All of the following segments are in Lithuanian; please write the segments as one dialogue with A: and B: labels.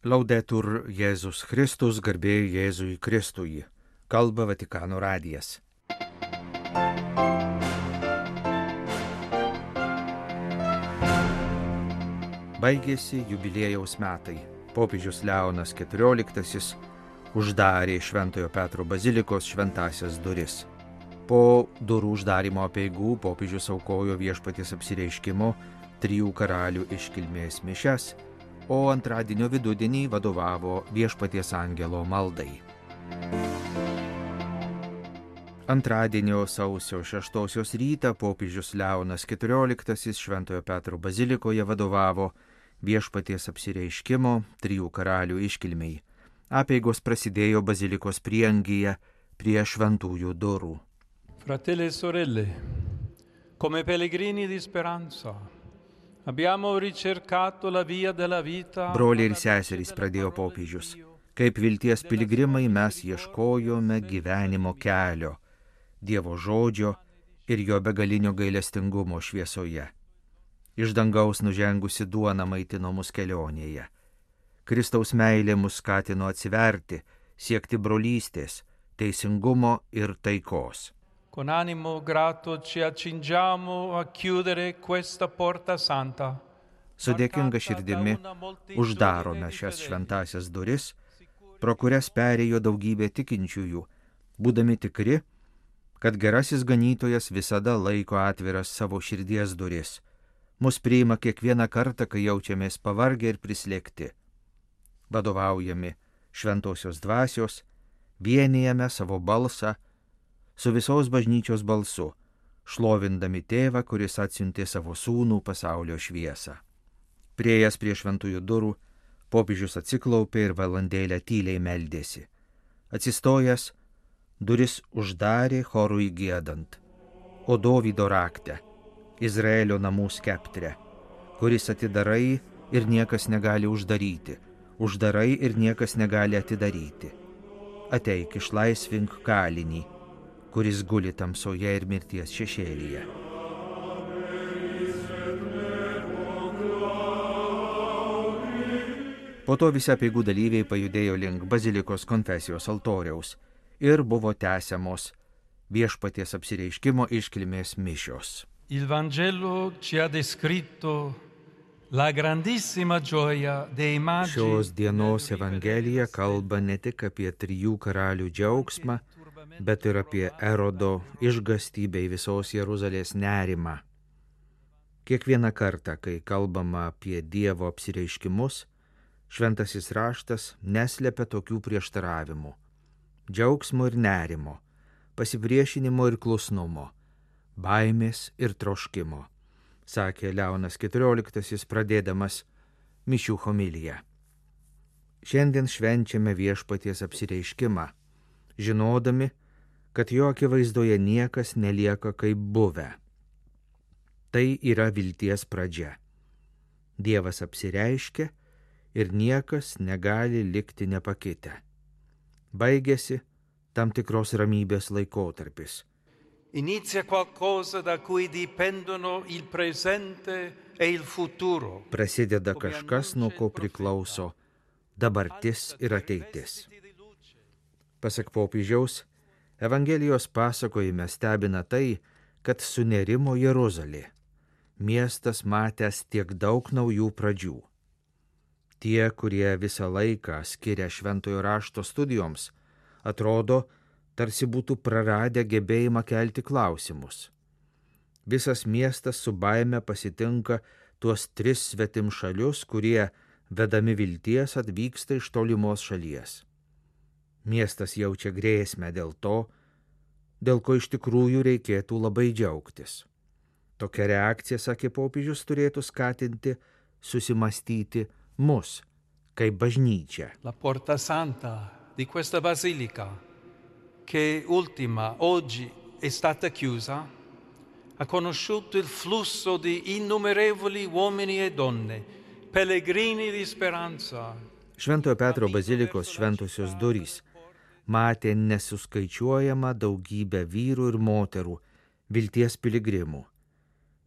A: Laudetur Jėzus Kristus, garbė Jėzui Kristui. Kalba Vatikano radijas. Baigėsi jubiliejaus metai. Popiežius Leonas XIV uždarė Šventojo Petro bazilikos šventąsias duris. Po durų uždarimo apeigų popiežius aukojo Viešpaties apsireiškimo 3 karalių iškilmės mišias, o antradienio vidudienį vadovavo Viešpaties angelo maldai. Antradienio sausio 6 rytą popiežius Leonas XIV Šventojo Petro bazilikoje vadovavo Viešpaties apsireiškimo 3 karalių iškilmei. Apeigos prasidėjo bazilikos prieangyje prie šventųjų durų.
B: Fratelli e sorelle, come pellegrini di speranza, abbiamo ricercato la via della vita.
A: Broliai ir seserys, pradėjo popiežius, kaip vilties piligrimai mes ieškojome gyvenimo kelio, Dievo žodžio ir jo begalinio gailestingumo šviesoje. Iš dangaus nužengusi duona maitino mus kelionėje. Kristaus meilė mus skatino atsiverti, siekti brolystės, teisingumo ir taikos.
B: Con animo grato ci accingiamo a chiudere questa porta santa.
A: Su dėkinga širdimi uždarome šias šventąsias duris, pro kurias perėjo daugybė tikinčiųjų, būdami tikri, kad gerasis ganytojas visada laiko atviras savo širdies duris. Mus priima kiekvieną kartą, kai jaučiamės pavargę ir prislėgti. Vadovaujami šventosios dvasios, vienijame savo balsą su visos bažnyčios balsu, šlovindami tėvą, kuris atsiuntė savo sūnų pasaulio šviesą. Priėjęs prie šventųjų durų, popiežius atsiklaupė ir valandėlę tyliai meldėsi. Atsistojęs, duris uždarė chorui giedant. O Dovydo rakte, Izraelio namų skeptre, kuris atidarai ir niekas negali uždaryti, uždarai ir niekas negali atidaryti. Ateik, išlaisvink kalinį, kuris guli tamsoje ir mirties šešėlyje. Po to visi apeigų dalyviai pajudėjo link bazilikos konfesijos altoriaus ir buvo tęsiamos Viešpaties apsireiškimo iškilmės mišios.
B: Il Vangelo ci ha descritto la grandissima gioia dei magi.
A: Šios dienos Evangelija kalba ne tik apie 3 karalių džiaugsmą, bet ir apie Erodo išgąstį bei visos Jeruzalės nerimą. Kiekvieną kartą, kai kalbama apie Dievo apsireiškimus, Šventasis raštas neslepia tokių prieštaravimų – džiaugsmo ir nerimo, pasipriešinimo ir klusnumo, baimės ir troškimo, sakė Leonas XIV pradėdamas mišių homiliją. Šiandien švenčiame Viešpaties apsireiškimą, žinodami, kad jo akivaizdoje niekas nelieka kaip buvę. Tai yra vilties pradžia. Dievas apsireiškia ir niekas negali likti nepakitę. Baigėsi tam tikros ramybės laikotarpis.
B: Inizia qualcosa da cui dipendono il presente e il futuro.
A: Prasideda kažkas, nuo ko priklauso dabartis ir ateitis. Pasak popiežiaus, Evangelijos pasakojime stebina tai, kad sunerimo Jeruzalė, miestas matęs tiek daug naujų pradžių. Tie, kurie visą laiką skiria šventojo rašto studijoms, atrodo, tarsi būtų praradę gebėjimą kelti klausimus. Visas miestas su baime pasitinka tuos 3 svetimšalius, kurie, vedami vilties, atvyksta iš tolimos šalies. Miestas jaučia grėsmę dėl to, dėl ko iš tikrųjų reikėtų labai džiaugtis. Tokia reakcija, sakė popiežius, turėtų skatinti susimastyti mus, kaip bažnyčia.
B: La porta santa di questa basilica, che ultima oggi è stata chiusa, ha conosciuto il flusso di innumerevoli uomini e donne, pellegrini di speranza.
A: Šventojo Petro bazilikos šventosios durys matė nesuskaičiuojamą daugybę vyrų ir moterų, vilties piligrimų.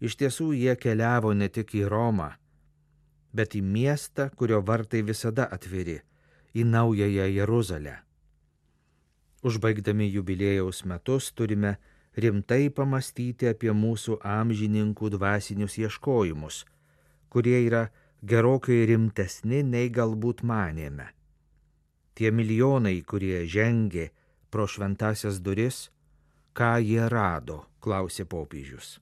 A: Iš tiesų jie keliavo ne tik į Romą, bet į miestą, kurio vartai visada atviri, į naująją Jeruzalę. Užbaigdami jubiliejaus metus turime rimtai pamastyti apie mūsų amžininkų dvasinius ieškojimus, kurie yra gerokai rimtesni nei galbūt manėme. Tie milijonai, kurie žengė pro šventasias duris, ką jie rado, klausė popiežius.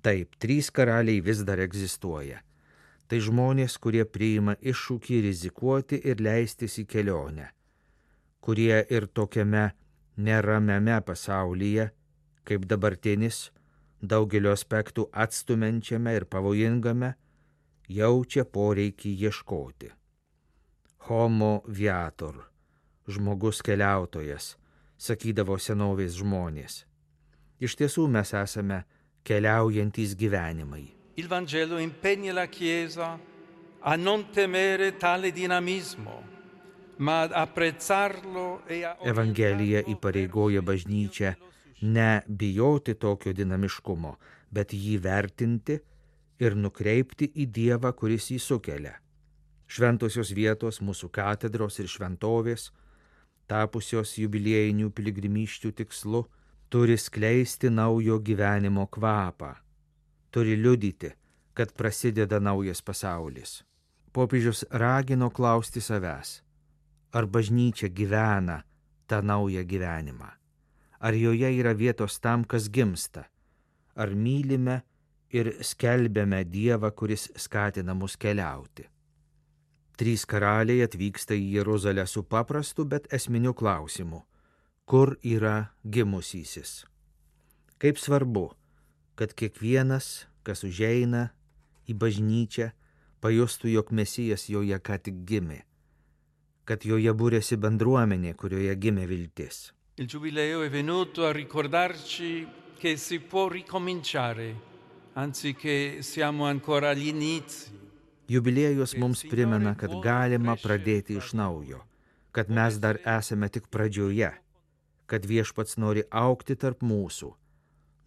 A: Taip, 3 karaliai vis dar egzistuoja. Tai žmonės, kurie priima iššūkį rizikuoti ir leistis į kelionę, kurie ir tokiame neramiame pasaulyje, kaip dabartinis, daugelio aspektų atstumiančiame ir pavojingame, jaučia poreikį ieškoti. Homo viator, žmogus keliautojas, sakydavo senovės žmonės. Iš tiesų mes esame keliaujantys gyvenimai.
B: Il Vangelo impegna la Chiesa a non temere tale dinamismo, ma ad apprezzarlo e a
A: Evangelija įpareigoja bažnyčią ne bijoti tokio dinamiškumo, bet jį vertinti ir nukreipti į Dievą, kuris jį sukelia. Šventosios vietos, mūsų katedros ir šventovės, tapusios jubiliejinių piligrimysčių tikslu, turi skleisti naujo gyvenimo kvapą, turi liudyti, kad prasideda naujas pasaulis. Popiežius ragino klausti savęs, ar bažnyčia gyvena tą naują gyvenimą, ar joje yra vietos tam, kas gimsta, ar mylime ir skelbiame Dievą, kuris skatina mus keliauti. 3 karaliai atvyksta į Jeruzalę su paprastu, bet esminiu klausimu. Kur yra gimusysis? Kaip svarbu, kad kiekvienas, kas užeina į bažnyčią, pajustų, jog Mesijas joje ką tik gimė, kad joje būrėsi bendruomenė, kurioje gimė viltis.
B: Il Giubileo è venuto a ricordarci che si può ricominciare, anzi che siamo ancora agli inizi.
A: Jubiliejus mums primena, kad galima pradėti iš naujo, kad mes dar esame tik pradžioje, kad viešpats nori augti tarp mūsų,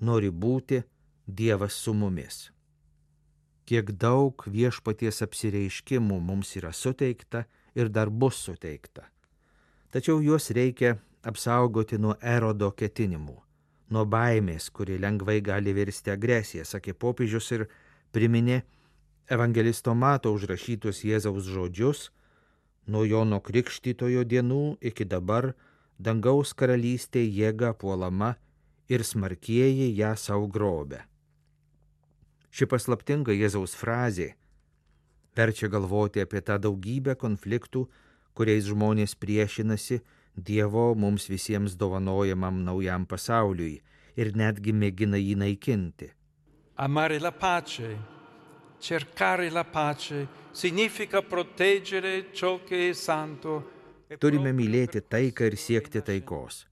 A: nori būti Dievas su mumis. Kiek daug viešpaties apsireiškimų mums yra suteikta ir dar bus suteikta. Tačiau juos reikia apsaugoti nuo erodo ketinimų, nuo baimės, kuri lengvai gali virsti agresiją, sakė popiežius ir priminė evangelisto Mato užrašytus Jėzaus žodžius: nuo Jono Krikštytojo dienų iki dabar dangaus karalystė jėga puolama ir smarkieji ją sau grobia. Ši paslaptinga Jėzaus frazė verčia galvoti apie tą daugybę konfliktų, kuriais žmonės priešinasi Dievo mums visiems dovanojamam naujam pasauliui ir netgi mėgina jį naikinti.
B: Amare la pace, cercare la pace, significa proteggere ciò che è santo.
A: Turime mylėti taiką ir siekti taikos,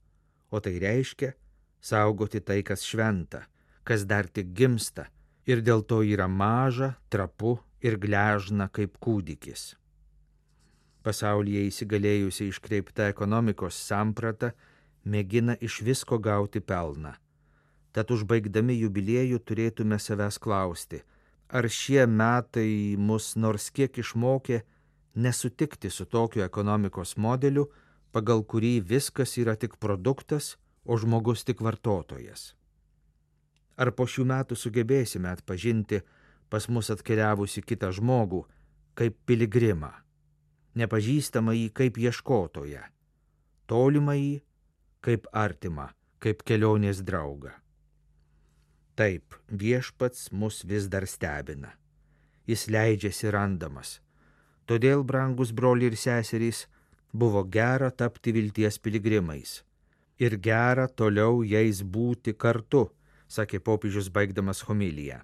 A: o tai reiškia saugoti tai, kas šventa, kas dar tik gimsta ir dėl to yra maža, trapu ir gležna kaip kūdikis. Pasaulyje įsigalėjusi iškreipta ekonomikos samprata mėgina iš visko gauti pelną. Tad užbaigdami jubiliejų turėtume savęs klausti, ar šie metai mus nors kiek išmokė nesutikti su tokiu ekonomikos modeliu, pagal kurį viskas yra tik produktas, o žmogus tik vartotojas. Ar po šių metų sugebėsime atpažinti pas mus atkeliavusi kitą žmogų kaip piligrimą, nepažįstamą jį kaip ieškotoją, tolimą jį kaip artimą, kaip kelionės draugą. Taip, viešpats mus vis dar stebina. Jis leidžiasi randamas. Todėl, brangus broliai ir seserys, buvo gera tapti vilties piligrimais. Ir gera toliau jais būti kartu, sakė popiežius baigdamas homiliją.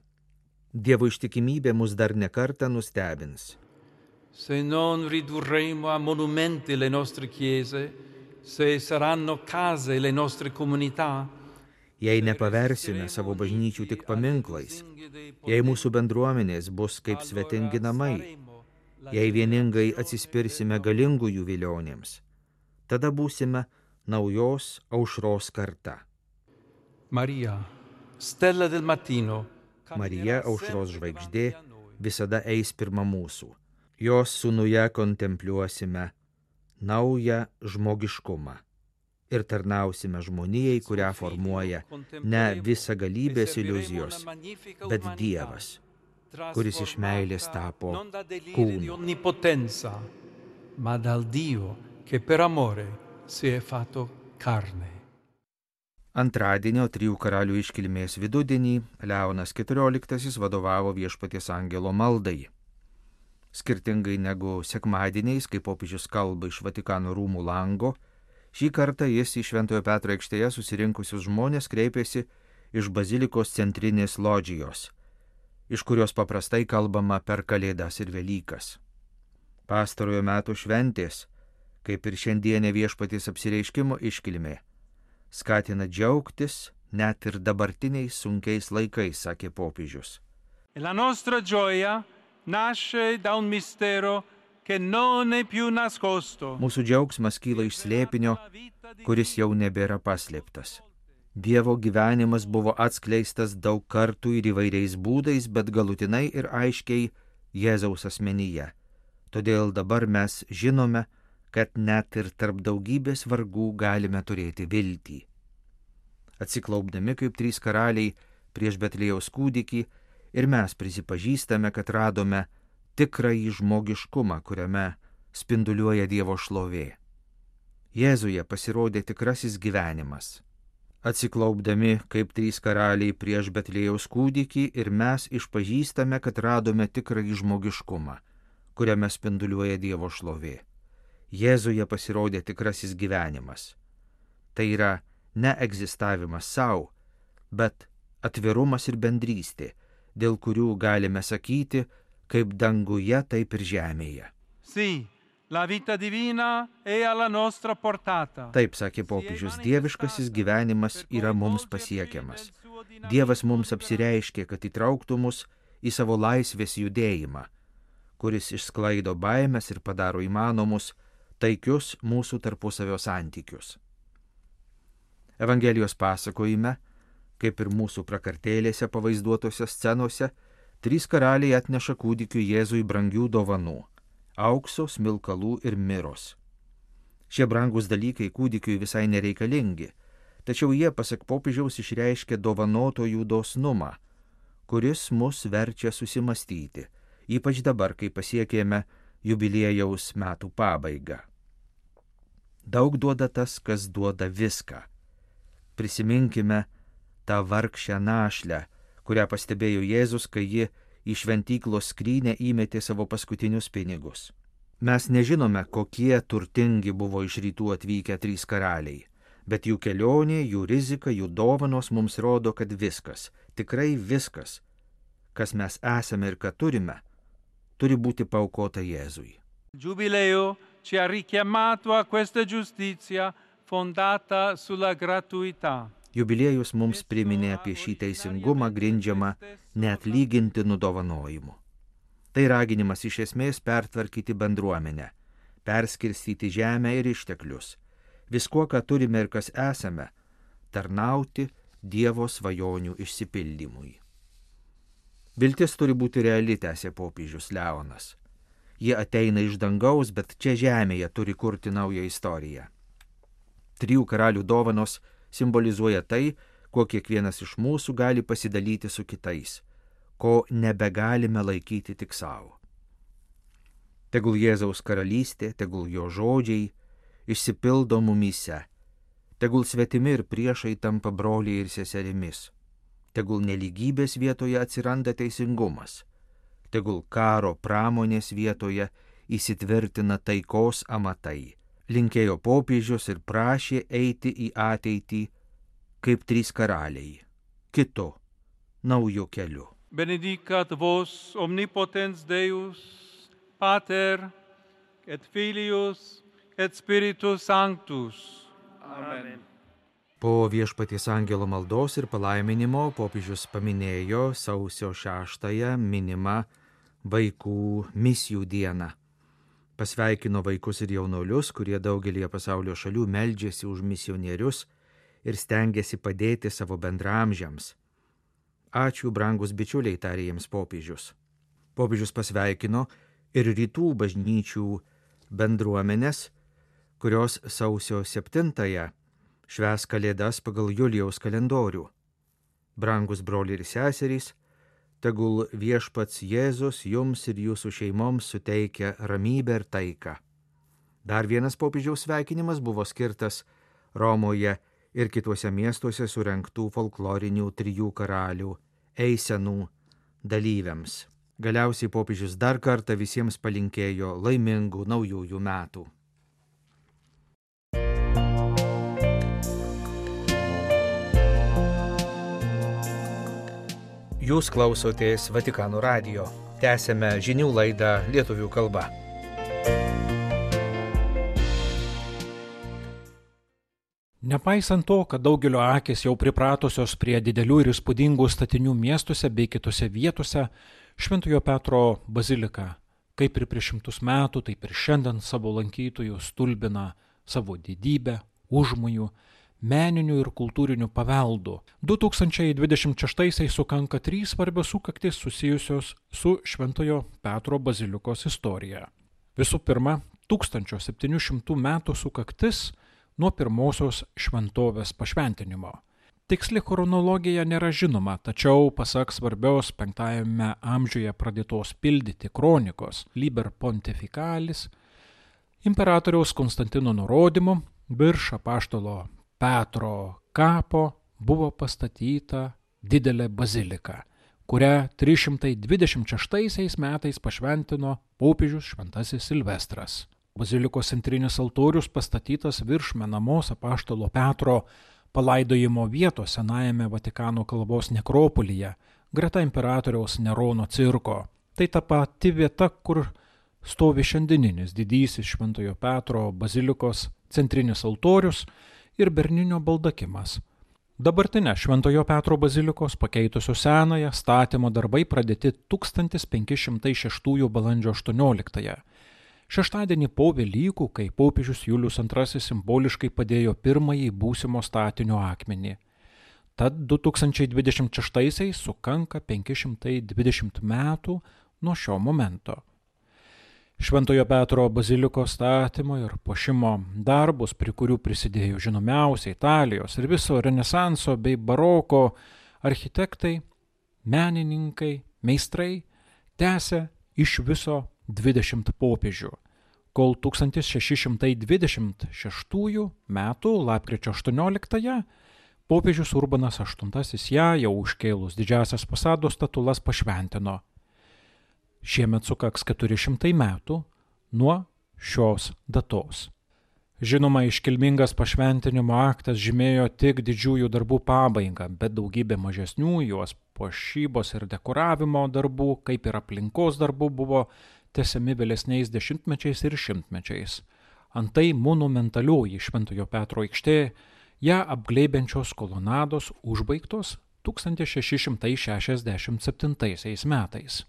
A: Dievo ištikimybė mus dar nekartą nustebins.
B: Se non ridurremo a monumenti le nostre chiese, se saranno case le nostre comunità,
A: jei nepaversime savo bažnyčių tik paminklais, jei mūsų bendruomenės bus kaip svetingi namai, jei vieningai atsispirsime galingųjų vilionėms, tada būsime naujos aušros karta.
B: Marija, stella del mattino,
A: Marija, aušros žvaigždė, visada eis pirma mūsų. Jos sūnuje kontempliuosime naują žmogiškumą ir tarnausime žmonijai, kurią formuoja ne visagalybės iliuzijos, bet Dievas, kuris iš meilės tapo kūnu.
B: Ma dal Dio che per amore si è fatto carne.
A: Antradienio 3 karalių iškilmės vidudienį Leonas XIV vadovavo Viešpaties angelo maldai. Skirtingai negu sekmadieniais, kai popiežius kalba iš Vatikano rūmų lango, šį kartą jis į Šventojo Petro aikštėje susirinkusius žmonės kreipėsi iš bazilikos centrinės lodžijos, iš kurios paprastai kalbama per Kalėdas ir Velykas. Pastarojo metų šventės, kaip ir šiandienė Viešpaties apsireiškimo iškilmė, skatina džiaugtis net ir dabartiniais sunkiais laikais, sakė popiežius.
B: La nostra gioia nasce da un mistero che non è più nascosto.
A: Mūsų džiaugsmas kyla iš slėpinio, kuris jau nebėra paslėptas. Dievo gyvenimas buvo atskleistas daug kartų ir įvairiais būdais, bet galutinai ir aiškiai Jėzaus asmenyje. Todėl dabar mes žinome, kad net ir tarp daugybės vargų galime turėti viltį. Atsiklaupdami kaip 3 karaliai prieš Betliejaus kūdikį ir mes prisipažįstame, kad radome tikrąjį žmogiškumą, kuriame spinduliuoja Dievo šlovė. Jėzuje pasirodė tikrasis gyvenimas. Atsiklaupdami kaip 3 karaliai prieš Betliejaus kūdikį ir mes išpažįstame, kad radome tikrąjį žmogiškumą, kuriame spinduliuoja Dievo šlovė. Jėzuje pasirodė tikrasis gyvenimas. Tai yra ne egzistavimas savo, bet atvirumas ir bendrystė, dėl kurių galime sakyti, kaip danguje, taip ir žemėje.
B: Sì, la vita divina è alla nostra portata.
A: Taip, sakė popiežius, dieviškasis gyvenimas yra mums pasiekiamas. Dievas mums apsireiškė, kad įtrauktų mus į savo laisvės judėjimą, kuris išsklaido baimės ir padaro įmanomus taikius mūsų tarpusavio santykius. Evangelijos pasakojime, kaip ir mūsų prakartėlėse pavaizduotose scenose, 3 karaliai atneša kūdikiui Jėzui brangių dovanų – aukso, smilkalų ir miros. Šie brangus dalykai kūdikiui visai nereikalingi, tačiau jie, pasak popiežiaus, išreiškia dovanotojų dosnumą, kuris mus verčia susimastyti, ypač dabar, kai pasiekėme jubiliejaus metų pabaigą. Daug duoda tas, kas duoda viską. Prisiminkime tą vargšę našlę, kurią pastebėjo Jėzus, kai ji į šventyklos skrynę įmetė savo paskutinius pinigus. Mes nežinome, kokie turtingi buvo iš rytų atvykę 3 karaliai, bet jų kelionė, jų rizika, jų dovanos mums rodo, kad viskas, tikrai viskas, kas mes esame ir ką turime, turi būti paaukota Jėzui.
B: Giubileo ci ha richiamato a questa giustizia fondata sulla gratuità.
A: Jubiliejus mums priminė apie šį teisingumą grindžiamą neatlygintinų dovanojimų. Tai raginimas iš esmės pertvarkyti bendruomenę, perskirstyti žemę ir išteklius, viskuo, ką turime ir kas esame, tarnauti Dievo svajonių išsipildymui. Viltis turi būti reali, tęsė popiežius Leonas. Jie ateina iš dangaus, bet čia žemėje turi kurti naują istoriją. 3 karalių dovanos simbolizuoja tai, kuo kiekvienas iš mūsų gali pasidalyti su kitais, ko nebegalime laikyti tik savo. Tegul Jėzaus karalystė, tegul jo žodžiai išsipildo mumyse, tegul svetimi ir priešai tampa broliai ir seserimis, tegul nelygybės vietoje atsiranda teisingumas, tegul karo pramonės vietoje įsitvirtina taikos amatai. Linkėjo popiežius ir prašė eiti į ateitį kaip 3 karaliai, kitu, nauju keliu.
B: Benedicat vos omnipotens Deus, Pater, et Filius, et Spiritus Sanctus. Amen.
A: Po Viešpaties angelo maldos ir palaiminimo popiežius paminėjo sausio 6 minimą vaikų misijų dieną. Pasveikino vaikus ir jaunuolius, kurie daugelį pasaulio šalių meldžiasi už misionierius ir stengiasi padėti savo bendramžiams. Ačiū, brangus bičiuliai, tarė jiems popiežius. Popiežius pasveikino ir rytų bažnyčių bendruomenės, kurios sausio 7-ąją švęs Kalėdas pagal Julijaus kalendorių. Brangus broliai ir seserys, tegul viešpats Jėzus jums ir jūsų šeimoms suteikia ramybę ir taiką. Dar vienas popiežiaus sveikinimas buvo skirtas Romoje ir kituose miestuose surengtų folklorinių 3 karalių eisenų dalyviams. Galiausiai popiežius dar kartą visiems palinkėjo laimingų naujųjų metų. Jūs klausotės Vatikano radijo. Tęsiame žinių laidą lietuvių kalba.
C: Nepaisant to, kad daugelio akis jau pripratusios prie didelių ir įspūdingų statinių miestuose bei kitose vietose, Šventojo Petro bazilika, kaip ir prieš 100 metų, taip ir šiandien savo lankytojų stulbina savo didybę, užmojų, meninių ir kultūrinių paveldų. 2026 sukanka 3 svarbios sukaktys susijusios su Šventojo Petro bazilikos istorija. Visų pirma, 1700 metų sukaktis nuo pirmosios šventovės pašventinimo. Tiksli chronologija nėra žinoma, tačiau pasak svarbios 5 amžiuje pradėtos pildyti kronikos Liber Pontificalis, imperatoriaus Konstantino nurodymu virš apaštalo Petro kapo buvo pastatyta didelė bazilika, kurią 326 metais pašventino popiežius Šventasis Silvestras. Bazilikos centrinis altorius pastatytas virš menamos apaštalo Petro palaidojimo vietos senajame Vatikano kalbos nekropolyje, greta imperatoriaus Nerono cirko. Tai ta pati vieta, kur stovi šiandieninis didysis Šventojo Petro bazilikos centrinis altorius ir berninio baldakimas. Dabartinę Šventojo Petro bazilikos pakeitusios senąją statymo darbai pradėti 1506 balandžio 18. Šeštadienį po Velykų, kai popiežius Julius II simboliškai padėjo pirmąjį būsimo statinio akmenį. Tad 2026 sukanka 520 metų nuo šio momento. Šventojo Petro bazilikos statymo ir puošimo darbus, prie kurių prisidėjo žinomiausi Italijos ir viso Renesanso bei baroko architektai, menininkai, meistrai, tęsė iš viso 20 popiežių, kol 1626 metų lapkričio 18 popiežius Urbanas VIII ją jau užkėlus didžiasias fasado statulas pašventino. Šiemet sukaks 400 metų nuo šios datos. Žinoma, iškilmingas pašventinimo aktas žymėjo tik didžiųjų darbų pabaigą, bet daugybė mažesnių juos puošybos ir dekoravimo darbų, kaip ir aplinkos darbų, buvo tęsiami vėlesniais dešimtmečiais ir šimtmečiais. Antai monumentalioji Šventojo Petro aikštė, ją apglėbiančios kolonados užbaigtos 1667 metais.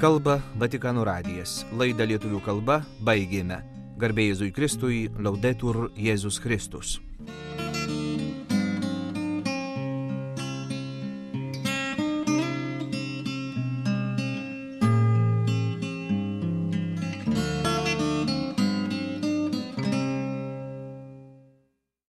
A: Kalba Vatikano radijas. Laidą lietuvių kalba baigėme. Garbė Jėzui Kristui, Laudetur Jėzus Kristus.